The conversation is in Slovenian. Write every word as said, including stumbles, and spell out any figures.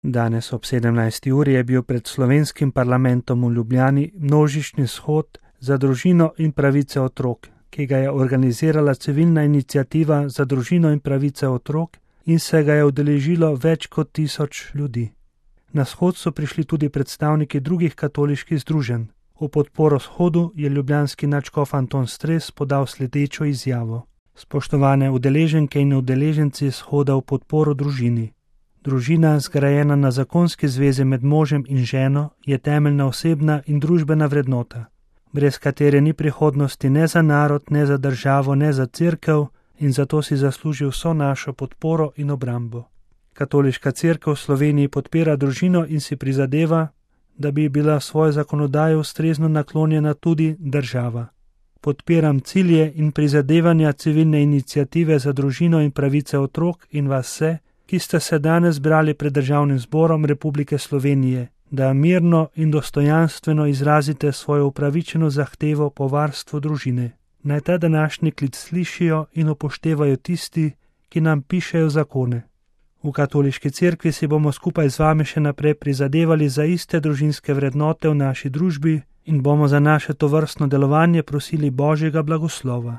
Danes ob sedemnajsti uri je bil pred slovenskim parlamentom v Ljubljani množični shod za družino in pravice otrok, ki ga je organizirala civilna iniciativa za družino in pravice otrok in se ga je udeležilo več kot tisoč ljudi. Na shod so prišli tudi predstavniki drugih katoliških združenj. V podporo shodu je ljubljanski nadškof Anton Stres podal sledečo izjavo. Spoštovane udeleženke in udeleženci shoda v podporo družini. Družina, zgrajena na zakonski zvezi med možem in ženo, je temeljna osebna in družbena vrednota, brez katere ni prihodnosti ne za narod, ne za državo, ne za cerkev in zato si zasluži vso našo podporo in obrambo. Katoliška cerkev v Sloveniji podpira družino in si prizadeva, da bi bila svojo zakonodajo ustrezno naklonjena tudi država. Podpiram cilje in prizadevanja civilne iniciative za družino in pravice otrok in vas vse, ki ste se danes zbrali pred Državnim zborom Republike Slovenije, da mirno in dostojanstveno izrazite svojo upravičeno zahtevo po varstvu družine. Naj ta današnji klic slišijo in upoštevajo tisti, ki nam pišejo zakone. V katoliški cerkvi si bomo skupaj z vami še naprej prizadevali za iste družinske vrednote v naši družbi in bomo za naše tovrstno delovanje prosili Božjega blagoslova.